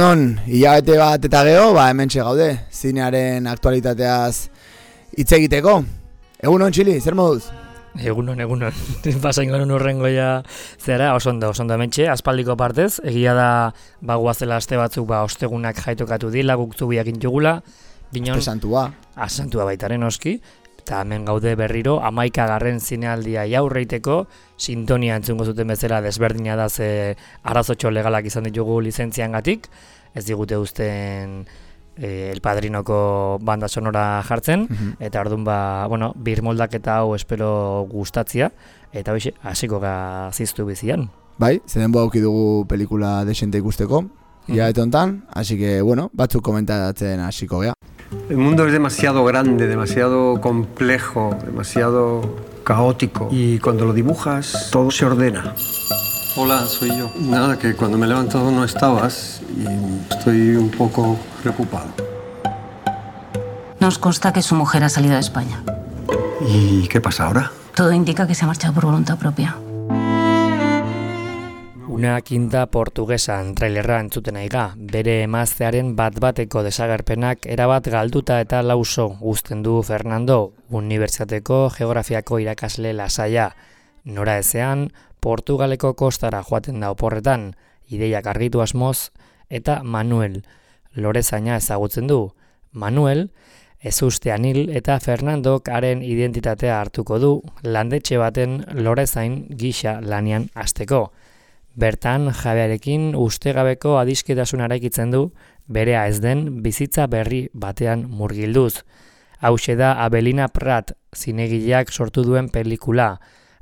Egunon, hilabete bat eta geho, hementxe gaude, zinearen aktualitateaz hitz egiteko. Egunon, Txili, zer moduz? Egunon. Pasain genuen urrengoia zera, oso ondo hementxe, aspaldiko partez, egia da bagoazela aste batzuk ostegunak jaitokatu dila, guk zubiak intugula, Aste santua. Santua baitaren oski, eta hemen gaude berriro, 11. zinealdia jaurreiteko, sintonia entzungo zuten bezala desberdina da ze arazotxo legalak izan ditugu lizentziangatik, ez digute uzten El Padrinoko banda sonora jartzen, eta orduan birmoldaketa hau espero gustatzia, eta hoxe, hasiko gaziztu bizian. Bai, zeden auki dugu pelikula desente ikusteko, hilabete hontan, así que, batzuk komentatzen hasiko gea. El mundo es demasiado grande, demasiado complejo, demasiado caótico, y cuando lo dibujas, todo se ordena. Hola, soy yo. Nada, que cuando me he levantado no estabas y estoy un poco preocupado. Nos consta que su mujer ha salido de España. ¿Y qué pasa ahora? Todo indica que se ha marchado por voluntad propia. Una kinta portugesan trailerra entzuten aiga, bere emaztearen bat-bateko desagerpenak erabat galduta eta lauso uzten du Fernando, unibertsitateko geografiako irakasle lasaia. Nora ezean, Portugaleko kostara joaten da oporretan, ideiak argitu asmoz, eta Manuel, lorezaina ezagutzen du. Manuel, ezustean hil eta Fernandok haren identitatea hartuko du, landetxe baten lorezain gisa lanian hasteko. Bertan, jabearekin ustegabeko adisketasun eraikitzen du, berea ez den bizitza berri batean murgilduz. Hauxe da Abelina Prat zinegileak sortu duen pelikula.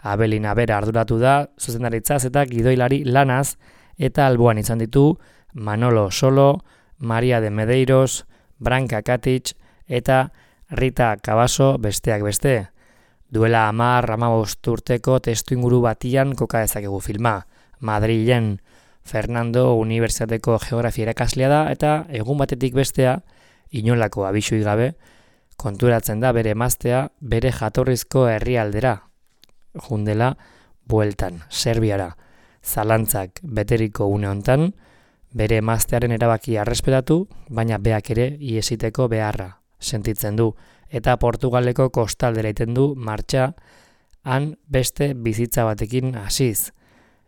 Abelina bera arduratu da, zuzendaritzaz eta gidoilari lanaz, eta alboan izan ditu Manolo Solo, Maria de Medeiros, Branka Katic eta Rita Cabaso besteak beste. Duela 10-15 urteko testuinguru batian koka dezakegu filma. Madrilen, Fernando unibertsitateko geografia irakaslea da eta egun batetik bestea, inolako abisui gabe, konturatzen da bere emaztea bere jatorrizko herrialdera, jundela bueltan, Serbiara. Zalantzak beteriko une hontan, bere emaztearen erabakia errespetatu, baina beak ere iesiteko beharra sentitzen du, eta Portugaleko kostaldera iten du martxa han beste bizitza batekin hasiz.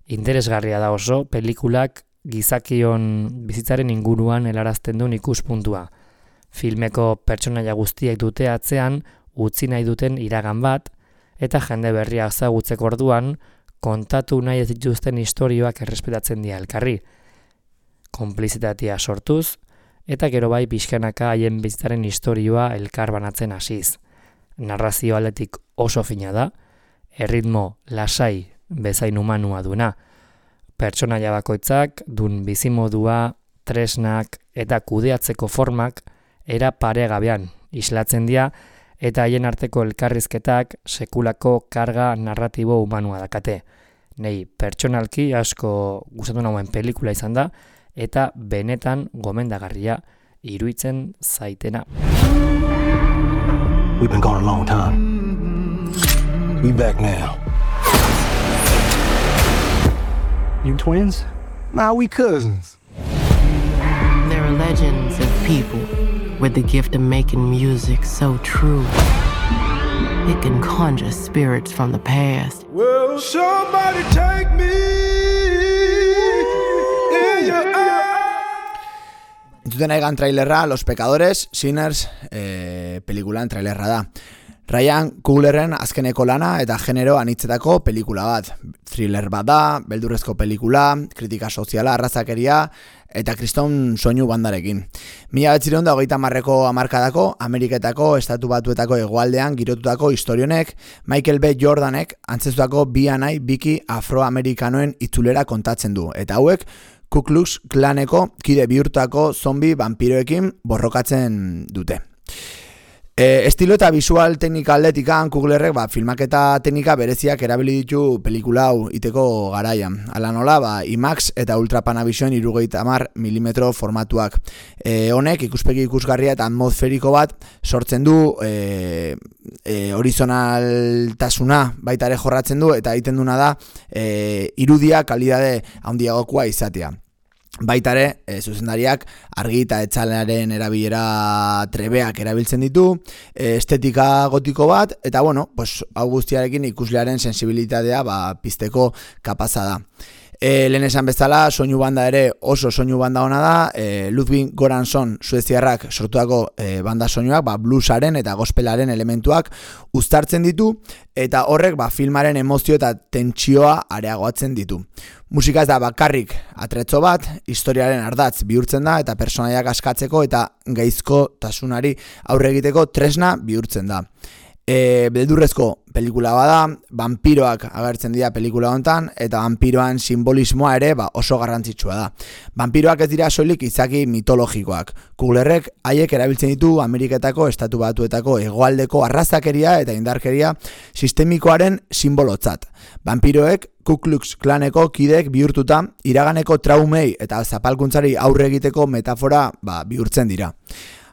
Interesgarria da oso, pelikulak gizakion bizitzaren inguruan helarazten duen ikuspuntua. Filmeko pertsonaia guztiak dute atzean utzi nahi duten iragan bat, eta jende berria ezagutzeko orduan kontatu nahi ez dituzten istorioak errespetatzen dira elkarri. Konplizitatea sortuz, eta gero bai pixkanaka haien bizitzaren istorioa elkar banatzen hasiz. Narrazio aldetik oso fina da, erritmo lasai bezain humanua duena. Pertsonaia bakoitzak dun bizimodua, tresnak eta kudeatzeko formak era paregabean islatzen dira eta haien arteko elkarrizketak sekulako karga narratibo humanua dakate. Nei pertsonalki asko gustatu nauen pelikula izan da eta benetan gomendagarria iruditzen zaitena. We've been gone a long time. We back now. You twins? Nah, we cousins. There are legends of people with the gift of making music so true. It can conjure spirits from the past. Will somebody take me in your eyes? Entzuten aigan trailerra, Los Pecadores, Sinners, pelikulan trailerra da. Ryan Cooglerren azkeneko lana eta genero anitzetako pelikula bat. Thriller bat da, beldurrezko pelikula, kritika soziala, arrazakeria eta kriston soinu bandarekin. 1930ko hamarkadako, Ameriketako, Estatu Batuetako hegoaldean girotutako historionek, Michael B. Jordanek antzezutako bi anai biki afroamerikanoen itzulera kontatzen du. Eta hauek, Ku Klux Klaneko kide bihurtako zombi vampiroekin borrokatzen dute. Estilo eta visual teknika aldetikan Cooglerrek filmaketa teknika bereziak erabili ditu pelikula hau iteko garaian. Hala nola, IMAX eta Ultra Panavision 70 mm formatuak. Honek ikuspegi ikusgarria eta atmosferiko bat sortzen du, horizonaltasuna baita ere jorratzen du eta egiten duna da irudia kalidade handiagokoa izatea. Baitare, zuzendariak argi eta etxalearen erabilera trebeak erabiltzen ditu, estetika gotiko bat, eta bueno, pues, hau guztiarekin ikuslearen sensibilitatea pizteko kapaza da. Lehen esan bezala, soinu banda ere oso soinu banda ona da, Ludwig Göransson sueziarrak sortuako banda soinuak, bluesaren eta gospelaren elementuak uztartzen ditu, eta horrek filmaren emozio eta tentsioa areagoatzen ditu. Musika ez da bakarrik atretzo bat, historiaren ardatz bihurtzen da, eta personaiak askatzeko eta gaizkotasunari aurre egiteko tresna bihurtzen da. Beldurrezko pelikula bada, vampiroak agertzen dira pelikula honetan, eta vampiroan simbolismoa ere oso garrantzitsua da. Vampiroak ez dira soilik izaki mitologikoak. Kuglerrek haiek erabiltzen ditu Ameriketako Estatu Batuetako hegoaldeko arrazakeria eta indarkeria sistemikoaren simbolotzat. Vampiroek Ku Klux Klaneko kideek bihurtuta iraganeko traumei eta zapalkuntzari aurre egiteko metafora bihurtzen dira.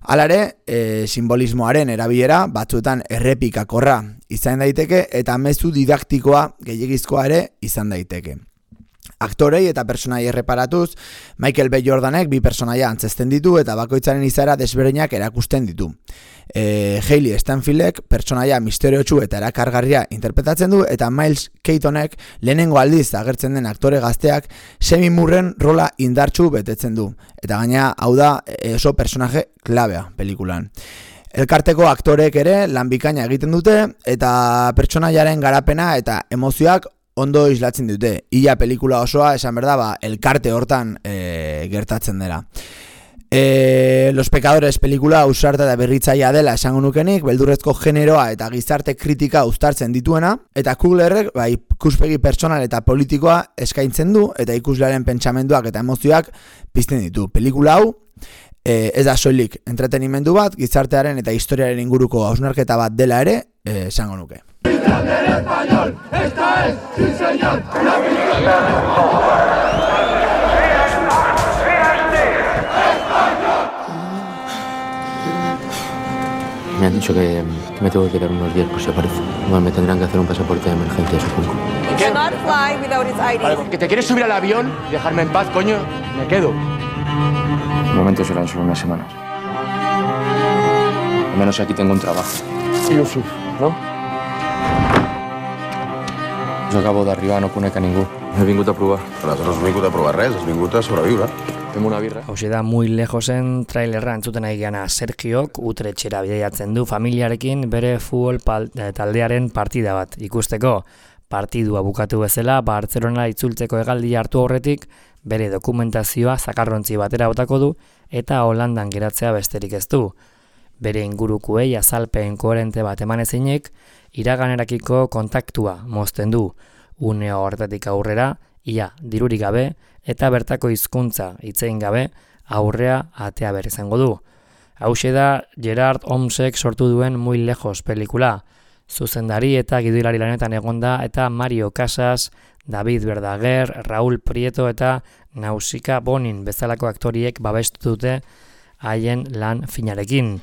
Halare, simbolismoaren erabilera batzuetan errepikakorra izan daiteke eta mezu didaktikoa gehiegizkoa ere izan daiteke. Aktorei eta personai erreparatuz, Michael B. Jordanek bi personaia antzesten ditu eta bakoitzaren izaera desberdinak erakusten ditu. Hailey Steinfeldek personaia misteriotsu eta erakargarria interpretatzen du, eta Miles Keatonek lehenengo aldiz agertzen den aktore gazteak Semi Murren rola indartsu betetzen du. Eta gaina hau da oso personaje klabea pelikulan. Elkarteko aktoreek ere lan bikaina egiten dute eta pertsonaiaren garapena eta emozioak ondo islatzen dute. Ia pelikula osoa esan berda elkarte hortan gertatzen dela. Los Pecadores pelikula ausarta eta berritzailea dela esango nukenik, beldurrezko generoa eta gizarte kritika uztartzen dituena, eta Kuglerrek ikuspegi pertsonal eta politikoa eskaintzen du, eta ikuslearen pentsamenduak eta emozioak pizten ditu. Pelikula hau ez da soilik entretenimendu bat, gizartearen eta historiaren inguruko hausnarketa bat dela ere esango nuke. Me han dicho que me tengo que quedar unos días por si aparece. Igual me tendrán que hacer un pasaporte de emergencia, supongo. ¿Qué? Vale, ¿que te quieres subir al avión y dejarme en paz, coño? Me quedo. De momento serán solo unas semanas. Al menos aquí tengo un trabajo. I Yusuf, no? Jo acabo d'arribar, no conec a ningú. He vingut a provar. Nosaltres no has vingut a provar res, has vingut a sobreviure. Tengo una birra. Hauxe da Muy Lejosen trailerra entzuten ari gana Sergiok Utrechtxera bidaiatzen du familiarekin bere futbol taldearen partida bat ikusteko. Partidua bukatu bezala Bartzelona itzultzeko hegaldia hartu aurretik bere dokumentazioa zakarrontzi batera botako du eta Holandan geratzea besterik ez du. Bere ingurukuei azalpen koherente bat eman ezinik, iraganerakiko kontaktua mozten du. Une horretatik aurrera, ia dirurik gabe eta bertako hizkuntza hitzein gabe aurrea atea behar izango du. Hauxe da Gerard Holmesek sortu duen Muy Lejos pelikula. Zuzendari eta gidoilari lanetan egonda eta Mario Casas, David Verdaguer, Raúl Prieto eta Nausicaa Bonin bezalako aktoriek babestu dute haien lan finarekin.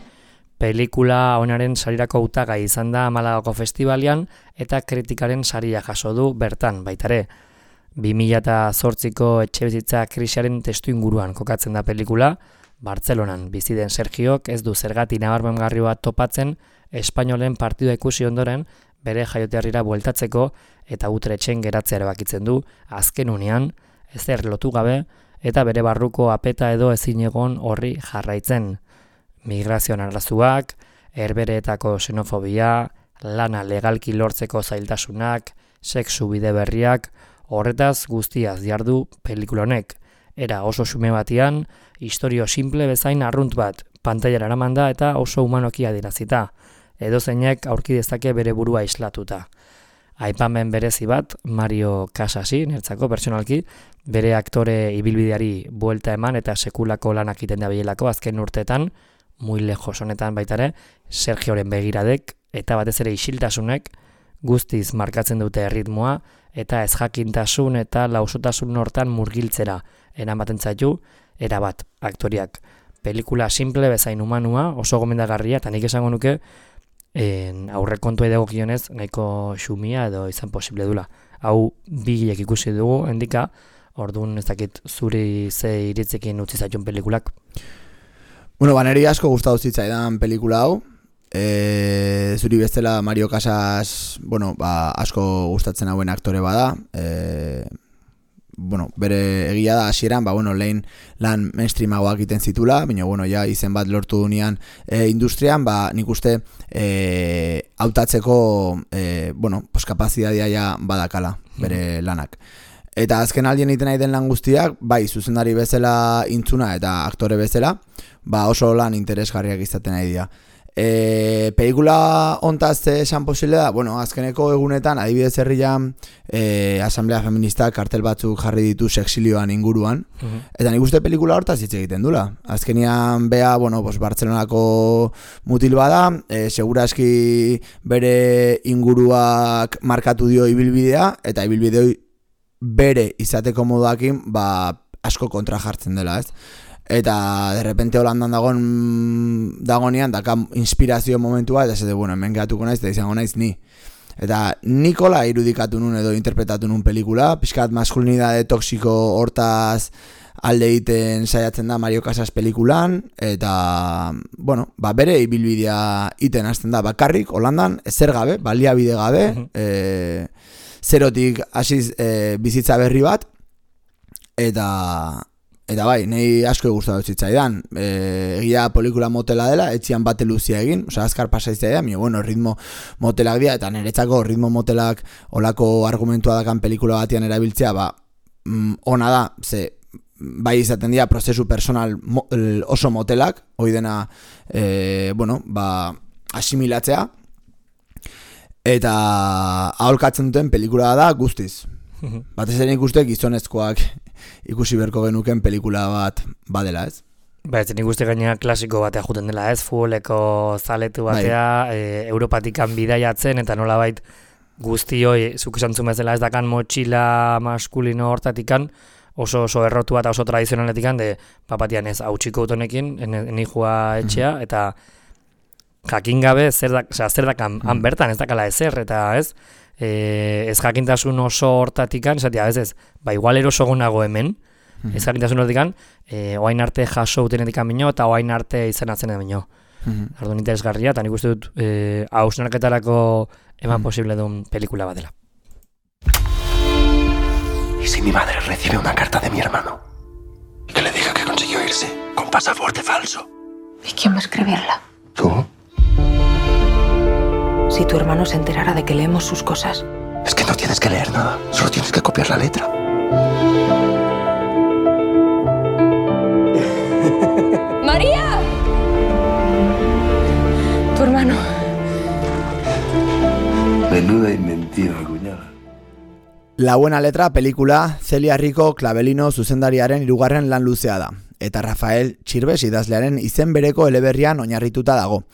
Pelikula honaren sarirako hautagai izan da Malagako festivalian eta kritikaren saria jaso du bertan baitare. 2008ko etxebizitza krisiaren testu inguruan kokatzen da pelikula, Bartzelonan bizi den Sergiok ez du zergati nabarmengarri bat topatzen Espainolen partidua ikusi ondoren bere jaioterrira bueltatzeko eta Utrechtsen geratzea erabakitzen du azken unean, ezer lotu gabe eta bere barruko apeta edo ezinegon horri jarraitzen. Migrazioan arrazuak, herbereetako xenofobia, lana legalki lortzeko zailtasunak, sexu bide berriak, horretaz guztiaz diardu pelikula honek. Era oso xume batian, istorio simple bezain arrunt bat, pantailara eramanda eta oso humanoki adierazita. Edozeinek aurki dezake bere burua islatuta. Aipamen berezi bat, Mario Casasi, nertzako pertsonalki, bere aktore ibilbideari buelta eman eta sekulako lanak iten dabilelako azken urteetan, Muy Lejos honetan baitare, Sergioren begiradek eta batez ere isiltasunek guztiz markatzen dute erritmoa eta ezjakintasun eta lausotasun hortan murgiltzera eramaten zaitu erabat aktoriak. Pelikula simple bezain humanua, oso gomendagarria eta nik esango nuke aurrekontua dagokionez nahiko xumia edo izan posible dula. Hau bigilek ikusi dugu, endika Orduan ez dakit zuri ze iritzekin utzi zaitun pelikulak. Bueno, niri asko gustatu zitzaidan pelikula hau. Zuri bestela Mario Casas, bueno, asko gustatzen hauen aktore bada. Bueno, bere egia da hasieran, lehen lan mainstreamagoak egiten zitula, baina bueno, ja izen bat lortu dunean industrian, nik uste hautatzeko bueno, kapazitatea ja badakala bere lanak. Eta azken aldien egiten nahi den lan guztiak, bai, zuzendari bezala intzuna eta aktore bezala, oso lan interesgarriak izaten nahi dira. Pelikula ontaz esan posible da, bueno, azkeneko egunetan, adibidez herrian, asamblea feministak kartel batzuk jarri ditu sexilioan inguruan, eta nik uste pelikula hortaz hitz egiten dula. Azkenian bea, bueno, Bartzelonako mutil bada, seguraski bere inguruak markatu dio ibilbidea, eta ibilbideo bere izateko moduakin, asko kontra jartzen dela, ez? Eta de repente Holandan dagonean daka inspirazio momentua eta zede, bueno, hemen gehatuko naiz eta izango naiz ni. Eta Nikola irudikatu nun edo interpretatu nun pelikula, pixkat maskulinidade toksiko hortaz alde egiten saiatzen da Mario Casas pelikulan, eta, bueno, bere ibilbidea iten hasten da bakarrik Holandan, ezer gabe, baliabide gabe, zerotik hasiz bizitza berri bat, eta bai, nahi asko gustatu zitzaidan. Egia pelikula motela dela, etxian bate luzia egin, azkar pasaiztea da, bueno, ritmo motelak dira, eta niretzako ritmo motelak olako argumentua dakan pelikula batian erabiltzea, ona da, ze bai izaten dira prozesu personal oso motelak, hoi dena, bueno, asimilatzea, eta aholkatzen duten pelikula da guztiz. Batez ere ikuste gizonezkoak ikusi berko genuken pelikula bat badela, ez? Ez nik uste gainera klasiko batea juten dela, ez? Futboleko zaletu batea, Europatikan bidaiatzen, eta nolabait guztioi, zuk esan zumezela ez dakan motxila maskulino hortatikan, oso errotu bat, oso tradizionaletikan, papatian ez hautsiko utonekin, nijua etxea, eta jakin gabe zer dakan han bertan, ez dakala ezer, eta ez? Ez jakintasun oso hortatikan, esatia, ez, igual erosogunago hemen, ez jakintasun hortikan, oain arte jaso utenetikan bino, eta oain arte izenatzen bino. Arduan interesgarria, eta nik uste dut hausnarketarako eman posible duen pelikula bat dela. ¿Y si mi madre recibe una carta de mi hermano? Y que le diga que consiguió irse con pasaporte falso. ¿Y quién va a escribirla? ¿Tú? Si tu hermano se enterara de que leemos sus cosas. Es que no tienes que leer nada, solo tienes que copiar la letra. ¡María! Tu hermano. Menuda inventiva, cuñada. La buena letra pelikula Celia Rico Clavelino zuzendariaren 3. lan luzea da, eta Rafael Txirbes idazlearen izen bereko eleberrian oinarrituta dago.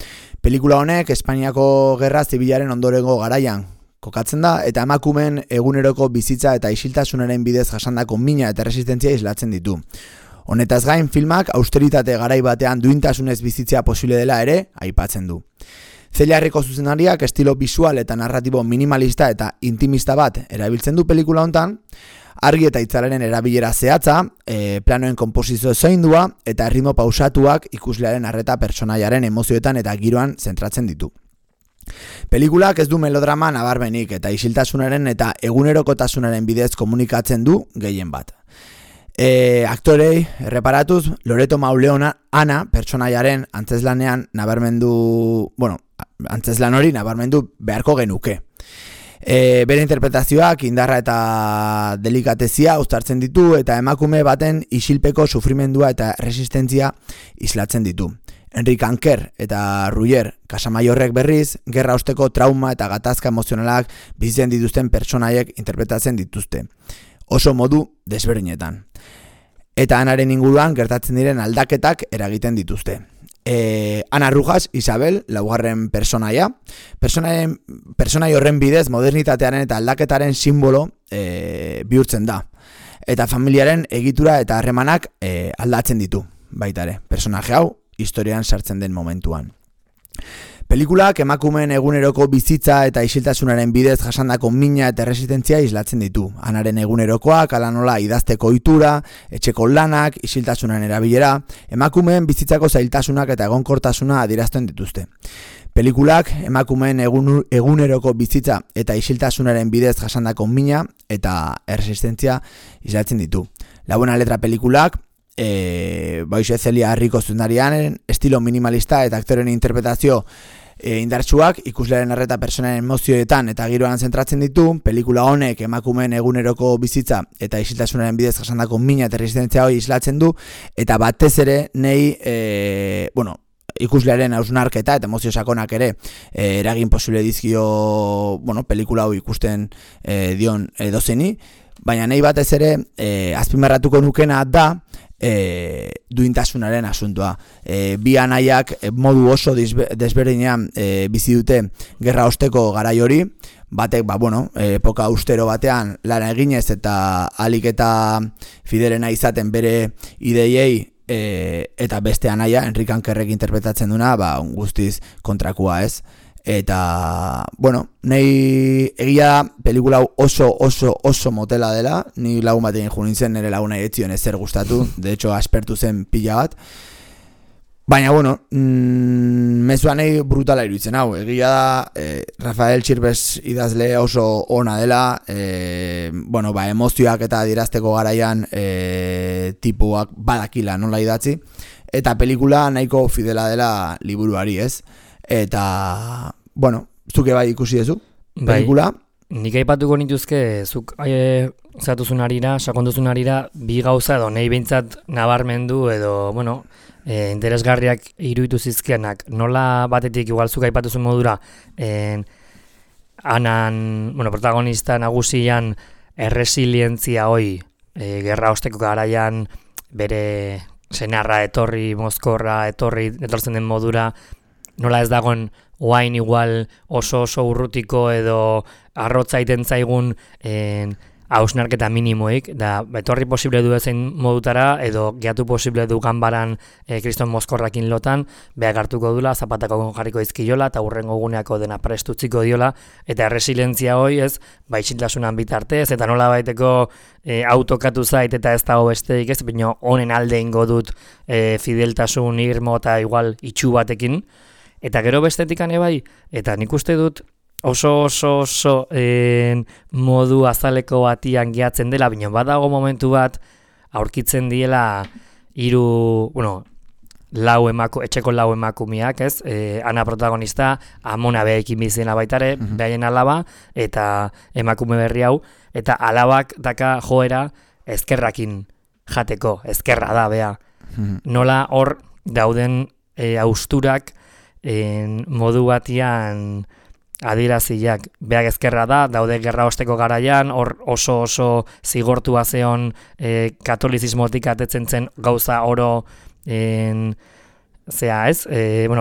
Pelikula honek Espainiako Gerra Zibilaren ondorengo garaian kokatzen da, eta emakumeen eguneroko bizitza eta isiltasunaren bidez jasandako mina eta resistentzia islatzen ditu. Honetaz gain, filmak austeritate garai batean duintasunez bizitzea posible dela ere aipatzen du. Celia Rico zuzendariak estilo bisual eta narratibo minimalista eta intimista bat erabiltzen du pelikula hontan, argi eta hitzaren erabilera zehatza, planoen konposizio zaindua eta ritmo pausatuak ikuslearen arreta pertsonaiaren emozioetan eta giroan zentratzen ditu. Pelikulak ez du melodrama nabarmenik eta isiltasunaren eta egunerokotasunaren bidez komunikatzen du gehien bat. Aktorei erreparatuz, Loreto Mauleon Ana pertsonaiaren antzeslanean nabarmendu, antzeslan hori nabarmendu beharko genuke. Bere interpretazioak indarra eta delikatezia uztartzen ditu eta emakume baten isilpeko sufrimendua eta resistentzia islatzen ditu. Enrique Anker eta Ruyer Casamaiorrek berriz, gerra osteko trauma eta gatazka emozionalak bizitzen dituzten pertsonaiek interpretatzen dituzte. Oso modu desberdinetan. Eta Anaren inguruan gertatzen diren aldaketak eragiten dituzte. Ana Rujas, Isabel, 2. personaia. Personai horren bidez modernitatearen eta aldaketaren simbolo bihurtzen da. Eta familiaren egitura eta harremanak aldatzen ditu, baita ere. Personaje hau, historian sartzen den momentuan. Pelikulak emakumeen eguneroko bizitza eta isiltasunaren bidez jasandako mina eta erresistentzia islatzen ditu. Anaren egunerokoak, ala nola idazteko ohitura, etxeko lanak, isiltasunaren erabilera, emakumeen bizitzako zailtasunak eta egonkortasuna adierazten dituzte. Pelikulak emakumeen eguneroko bizitza eta isiltasunaren bidez jasandako mina eta erresistentzia islatzen ditu. La buena letra pelikulak Baixe Celia Rico zuzendariaren estilo minimalista eta aktoren interpretazio indartsuak ikuslearen arreta personaren emozioetan eta giroan zentratzen ditu. Pelikula honek emakumeen eguneroko bizitza eta isiltasunaren bidez jasandako mina eta resistentzia hori islatzen du, eta batez ere nei ikuslearen hausnarketa eta emozio sakonak ere eragin posible dizkio pelikula hau ikusten dion edozeni, baina nei batez ere azpimarratuko nukena da duintasunaren asuntoa. Bi anaiak modu oso desberdinean bizi dute gerra osteko garai hori. Batek, epoka austero batean lana eginez eta alik eta fiderena izaten bere ideiei, eta beste anaia, Enrik Ankerrek interpretatzen duna, guztiz kontrakua, ez? Eta, nahi egia pelikula oso motela dela, ni lagun bat egin nintzen, nire laguna etzion ezer gustatu, de hecho aspertu zen pila bat. Baina, mezua nahi brutala iruditzen hau. Egia da, Rafael Txirbes idazle oso ona dela, emozioak eta adierazteko garaian tipuak badakila nola idatzi, eta pelikula nahiko fidela dela liburuari, ez? Eta, zuke bai ikusi duzu, pelikula? Nik aipatuko nituzke, zuk zatuzun arira, sakonduzun arira, bi gauza edo nahi behintzat nabarmendu edo, interesgarriak iruditu zizkianak. Nola batetik, igual zuk aipatuzun modura, protagonista nagusian erresilientzia hoi, gerra osteko garaian bere senarra etorri, mozkorra etortzen den modura, nola ez dagoen oain igual oso urrutiko edo arrotza iten zaigun hausnarketa minimoik, da etorri posible du ezein modutara edo gehiatu posible du ganbaran kriston mozkorrakin lotan, behar hartuko dula, zapatako jarriko izkiola eta hurrengo guneako dena prestutziko diola, eta erresilientzia hoi ez, isiltasunan bitartez, eta nola baiteko autokatu zait eta ez dago besteik ez, baina honen alde ingo dut fideltasun irmo eta igual itxu batekin, eta gero bestetik bai, eta nik uste dut oso modu azaleko batian gehatzen dela, baina badago momentu bat aurkitzen diela etxeko lau emakumeak, ez? Ana protagonista, Amona behekin bizena baitare, behaien alaba, eta emakume berri hau, eta alabak daka joera ezkerrakin jateko, ezkerra da, beha. Nola hor dauden austurak modu batian adieraziak, beak ezkerra da, daude gerra osteko garaian, hor oso zigortua zeon katolizismotik atetzen zen gauza oro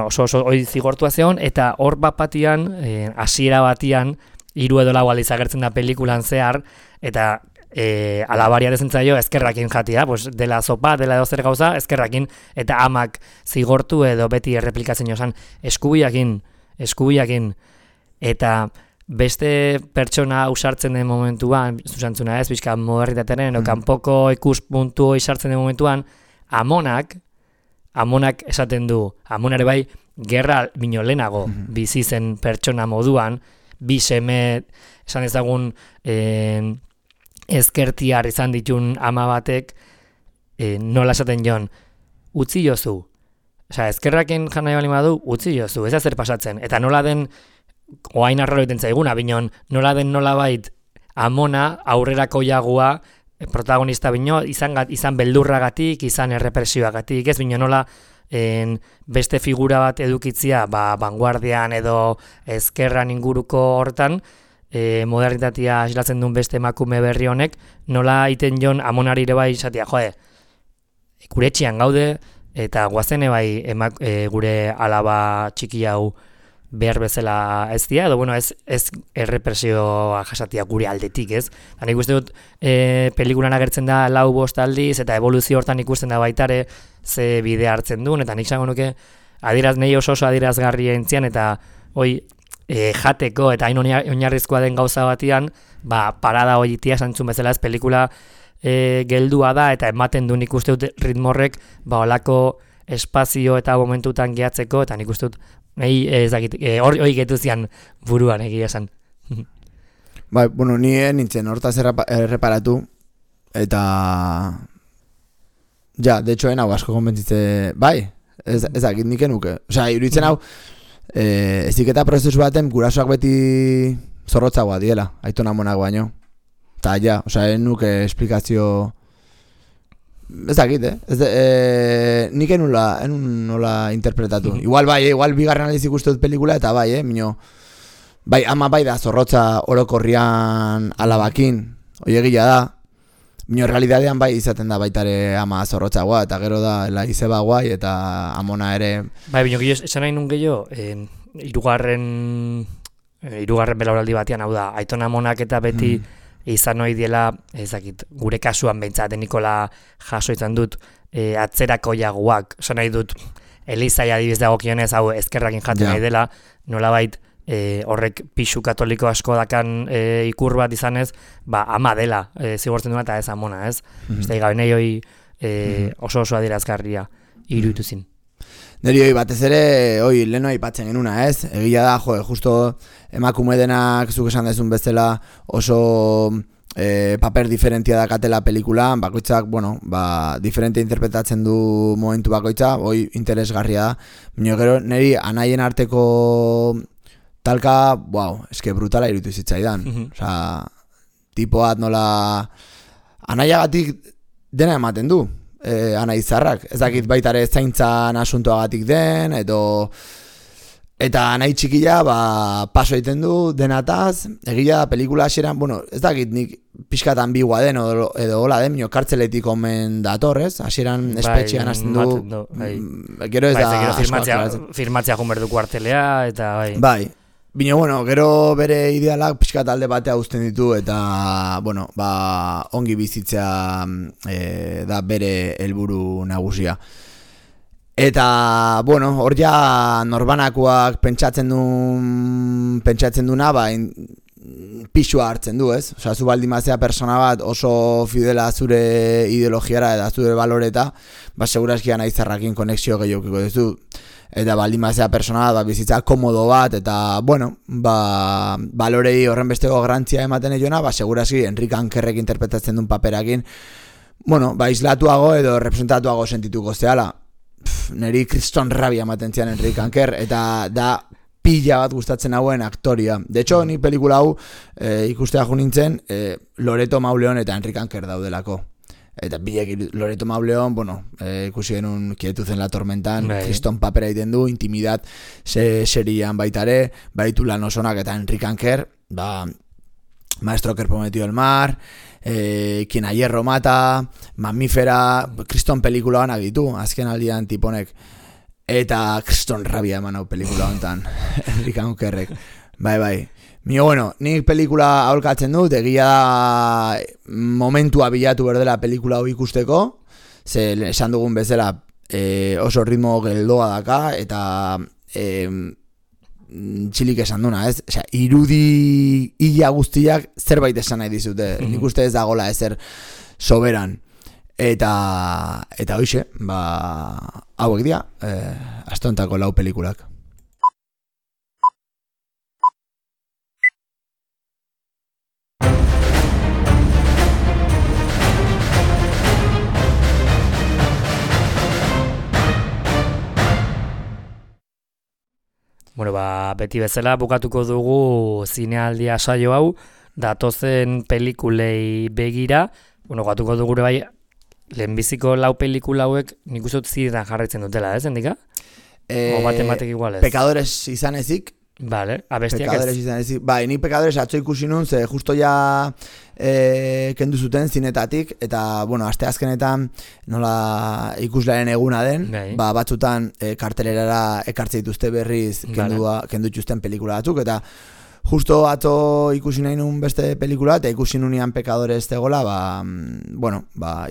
oso hori zigortua zeon, eta hor batian, hasiera batian, 3 edo 4 aldiz agertzen da pelikulan zehar, eta alabaria dezentzaio ezkerrakin jatia, dela zopa, dela edo zer gauza, ezkerrakin, eta amak zigortu edo beti erreplikatzen joan eskubiakin, eta beste pertsona usartzen den momentuan, zuzentzuna ez, bizka modernitateren, kanpoko ikuspuntu isartzen den momentuan, Amonak esaten du, Amonare bai, gerra bino lehenago bizi zen pertsona moduan, bi seme, esan ezagun, ezkertiar izan ditun ama batek, nola esaten joan, utzi jozu. Ezkerraken jan nahi bali badu, utzi jozu, ez da zer pasatzen. Eta nola den, oain arraro egiten zaiguna, binon, nola den nolabait Amona aurrerako jagua, protagonista bino, izan beldurragatik, izan errepresioagatik, ez bino nola beste figura bat edukitzia, vanguardian edo ezkerran inguruko hortan, modernitatea islatzen duen beste emakume berri honek, nola iten jon Amonari ere bai izatea, gure etxean gaude, eta guazene bai gure alaba txiki hau behar bezala ez dira, edo ez errepresioa jasatia gure aldetik, ez? Nik uste dut pelikulan agertzen da 4-5 aldiz, eta evoluzio hortan ikusten da baitare ze bide hartzen duen, eta nik zango nuke nei oso adierazgarria entzian, eta hoi jateko eta hain oinarrizkoa den gauza batian, parada hoi itia santzun bezala ez pelikula geldua da, eta ematen du nik uste dut ritmorrek, olako espazio eta momentutan gehatzeko, eta nik uste dut, hori getu zian buruan egia esan. Bai, bueno, ni nintzen hortaz erreparatu, eta de hecho hau asko konbentzitze, bai, ez dakit nik enuke. Osea, iruditzen hau, eziketa prozesu baten gurasoak beti zorrotzagoa diela, aitona monak baino. Eta osea, enuke esplikazio... Ez dakit, nik enun nola interpretatu. Igual bigarren aldiz ikustu dut pelikula, eta bai, minio... Bai, ama bai da zorrotza orokorrian alabakin, hoi egila da. Minio realidadean bai izaten da baitare ama zorrotzagoa, eta gero da izeba guai, eta amona ere... Bai, minio gehiago, esan nahi nun gehiago, irugarren belauraldi batean, hau da, aitona amonak eta beti izan hori diela, ezakit, gure kasuan behintzat, Nikola jaso izan dut, atzerako jaguak, esan nahi dut, Elizai adibiz dagokionez, hau ezkerrakin jaten nahi dela, nolabait, horrek pixu katoliko asko dakan ikur bat izanez, ama dela zigortzen duena eta ez amona, ez? Ez da gabe nahi hoi oso adierazgarria iruditu zin. Neri hoi batez ere, leheno aipatzen genuna, ez? Egia da, justo emakume denak zuk esan dezun bezala oso paper diferentia dakatela pelikulan, bakoitzak, diferente interpretatzen du momentu bakoitza, hoi interesgarria da. Baina gero, neri anaien arteko talka, eske brutala iruditu zitzaidan. Osea, tipoat nola anaiagatik dena ematen du, anaizarrak. Ez dakit baitare zaintzan asuntoagatik den, eta anai txikila paso egiten du denataz, egila da pelikula hasieran, ez dakit nik pixkat ambigua den, edo hola den, kartzeletik omen datorrez, hasieran espetxean hasten du, gero ez da... Firmatzea junberdu kuartelea, eta bai... Bai. Bino, gero bere idealak pixkat alde batea uzten ditu eta, ongi bizitzea da bere helburu nagusia. Eta, hor ja norbanakoak pentsatzen duna, pixua hartzen du, ez? Osea, zu baldimazea persona bat oso fidela zure ideologiara eta zure baloreta, segurazkian aizarrakin konexio gehiokiko duzu. Eta baldimazea persona bat bizitza komodo bat, eta, balorei horren besteko garantzia ematen egona, segurazki Enrique Ankerrek interpretatzen duen paperakin, islatuago edo representatuago sentituko zehala. Neri kriston rabia ematen zian Enrique Anker, eta da pila bat gustatzen hauen aktoria. De hecho, ni pelikula hau ikustea jo nintzen Loreto Mauleon eta Enrique Anker daudelako. Eta bilek Loreto Mauleon, ikusi genuen Quietud en la tormentan, kriston papera egiten du, Intimidad serian baitare, baitu lan osonak eta Enrique Anker, Maestro que prometió el mar, Quien a hierro mata, Mamífera, kriston pelikula banak ditu, azken aldian tiponek. Eta kriston rabia eman hau pelikula honetan, Enrique Ankerrek. Bai. Mio, nik pelikula aholkatzen dut, egia da momentua bilatu berdela pelikula hau ikusteko, ze esan dugun bezala oso ritmo geldoa daka, eta txilik esan duna, ez? Osea, irudi ia guztiak zerbait esan nahi dizute, nik uste ez dagola ezer soberan. Eta hoxe, hauek dira, astontako 4 pelikulak. Beti bezala bukatuko dugu zinealdia saio hau, datozen pelikulei begira, bukatuko dugu bai, lehenbiziko 4 pelikula hauek nik uste dut ziretan jarraitzen dutela, ez, Endika? O batek igual ez? Pekadores izan ezik. Vale, abestiak Pekadores izan ezik. Nik Pekadores atzo ikusi nun, ze justo ja kendu zuten zinetatik, eta, aste azkenetan nola ikuslearen eguna den, batzutan kartelerara ekartze dituzte berriz kendu txusten pelikula batzuk, eta Justo atzo ikusi nahi nun beste pelikula, eta ikusi nunian Pecadores zegoela,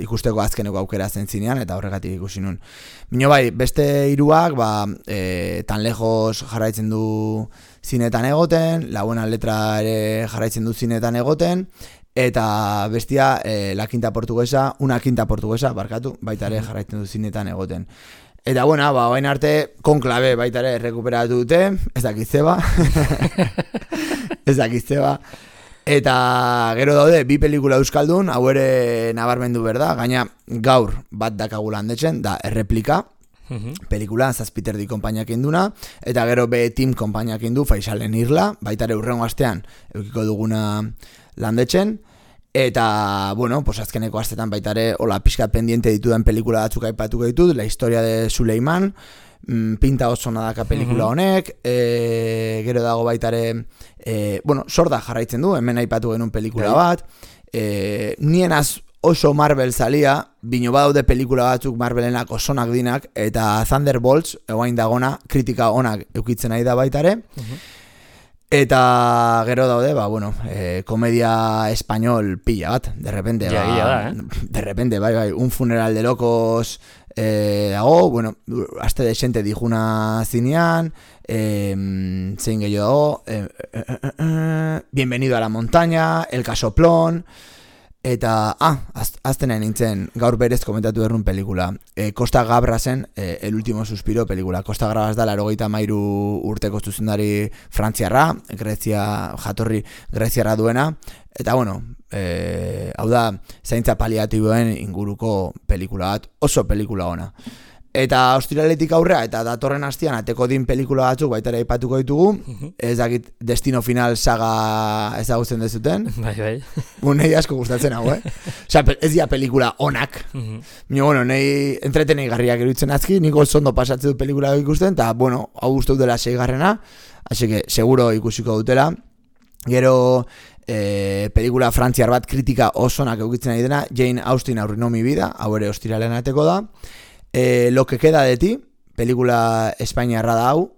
ikusteko azkeneko aukera zen zinean, eta horregatik ikusi nun. Bino bai, beste hiruak, tan lejos jarraitzen du zinetan egoten, La Buena Letra ere jarraitzen du zinetan egoten, eta bestia, una quinta portuguesa, baita ere jarraitzen du zinetan egoten. Eta bueno, bain arte Konklabe baita ere rekuperatu dute, ez dakitzeba. Ez dakitzeba. Eta gero daude bi pelikula euskaldun, hau ere nabarmendu berda, gaina gaur bat dakagula handetzen, da Erreplika, pelikula Zazpiterdi konpainiak induna, eta gero B-Team konpainiak indu, Faisalen Irla, baita ere urrengo astean eukiko duguna landetzen. Eta, bueno, azkeneko astetan baita ere, hola, pixkat pendiente dituden pelikula batzuk aipatuko ditut, La historia de Suleiman, pinta oso nadaka pelikula honek, gero dago baita ere, Sorda jarraitzen du, hemen aipatu genuen pelikula bat, nienaz oso Marvel zalia, bino badaude pelikula batzuk Marvelenak osonak dinak, eta Thunderbolts, egoain dagona, kritika onak eukitzen nahi da baita ere, eta gero daude, komedia español pilla bat, de repente, de repente, bai, un funeral de locos dago, aste desente dijuna zinean, zein gehiago dago, Bienvenido a la montaña, El casoplón, eta, aztenean nintzen, gaur berez komentatu errun pelikula, Costa Gabrasen, El último suspiro pelikula. Costa Gabras da 93 urteko zuzendari frantziarra, jatorri greziarra duena, eta hau da, zaintza paliatiboen inguruko pelikula bat, oso pelikula ona. Eta ostiraletik aurrea, eta datorren hastian ateko din pelikula batzuk baita ere aipatuko ditugu, ez dakit Destino Final saga ezagutzen dezuten. Bai. Nei asko gustatzen hau, Osea, ez dira pelikula onak. Nei entretenei garriak iruditzen azki, niko zondo pasatzen dut pelikula ikusten, eta, hau uste dutela 6garrena, así que seguro ikusiko dutela. Gero, pelikula frantziar bat kritika osonak eukitzen nahi dena, Jane Austen Arruinó mi vida, hau ere ostiralean ateko da. Lo que queda de ti, pelikula espainiarra da hau,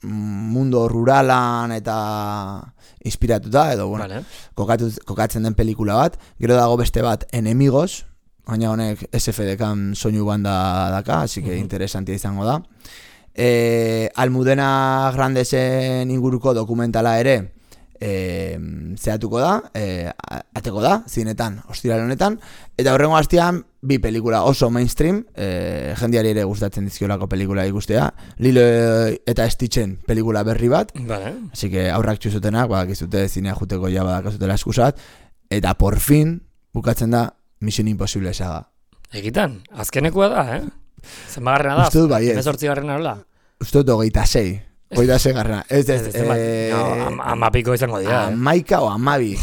mundo ruralan eta inspiratuta, edo, kokatzen den pelikula bat. Gero dago beste bat, Enemigos, baina honek SFDK soinu banda daka, así que interesantia izango da. Almudena Grandesen inguruko dokumentala ere, zehatuko da, ateko da, zinetan, ostiral honetan, eta horrengo hastian, bi pelikula oso mainstream, jendiari ere gustatzen dizkiolako pelikula ikustea, Lilo eta Stitchen pelikula berri bat, así que aurrak txuzutenak, bakizute zinea juteko ja badakazutela eskusat, eta por fin, bukatzen da, Mission Impossible saga. Egitan, azkenekoa da, Zenbagarrena da, Uste dut bai ez. 18garrena hola? Uste dut 26. Goita segarrena. Amapiko izango dira. Amaika o amabi.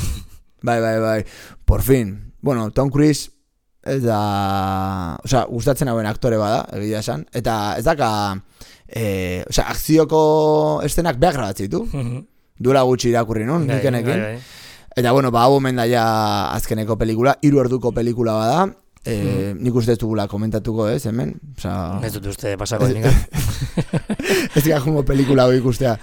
Bai. Por fin. Tom Cruise ez da... gustatzen hauen aktore bada, egia esan. Eta ez daka... akzioko estenak behar grabatzen ditu. Duela gutxi irakurri nun, nikenekin. Eta, hau omen da ja azkeneko pelikula. 3 orduko pelikula bada. Nik uste ez dugula komentatuko hemen. Ez dut uste pasako denik. Ez dira jungo pelikula hori ikustea.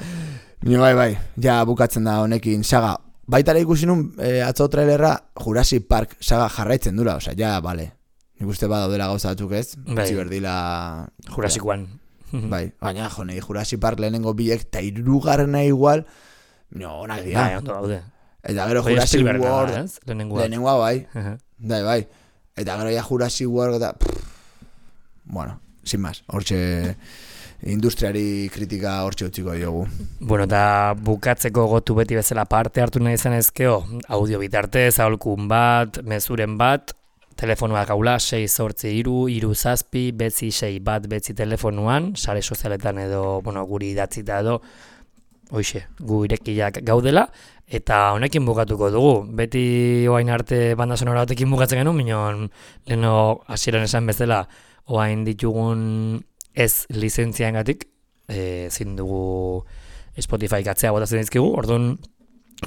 Bai, ja bukatzen da honekin saga. Baitara ikusi nun atzo trailerra Jurassic Park saga jarraitzen dura. Ja, bale. Nik uste badaudela gauza batzuk ez. Ziberdila... Jurassic One. Bai, baina jonei Jurassic Park lehenengo biek eta 3garrena igual. Onak dira. Bai, ondo gaude. Eta gero Jurassic World. Lehenengoa bai. Bai. Eta gero ja Jurassic World eta... sin más. Hortxe industriari kritika hortxe utziko diogu. Eta bukatzeko gotu beti bezala parte hartu nahi zen ezkeo, audio bitartez, aholkun bat, mezuren bat, telefonuak gaula 683-37 telefonuan, sare sozialetan edo, guri idatzita edo, hoxe, gu irekiak gaudela, eta honekin bukatuko dugu. Beti oain arte banda sonora batekin bukatzen genuen, minon leheno hasieran esan bezala, oain ditugun ez lizentziaengatik, zin dugu Spotify katzea botatzen dizkigu, orduan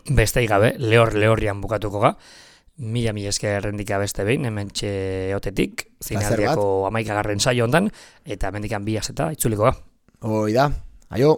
besteik gabe, lehorrian bukatuko ga. Mila esker rendika beste behin, hemen otetik, zinaldiako 11. saio ondan, eta mendikan 2 aseta itzuliko ga. Hoi da, aio!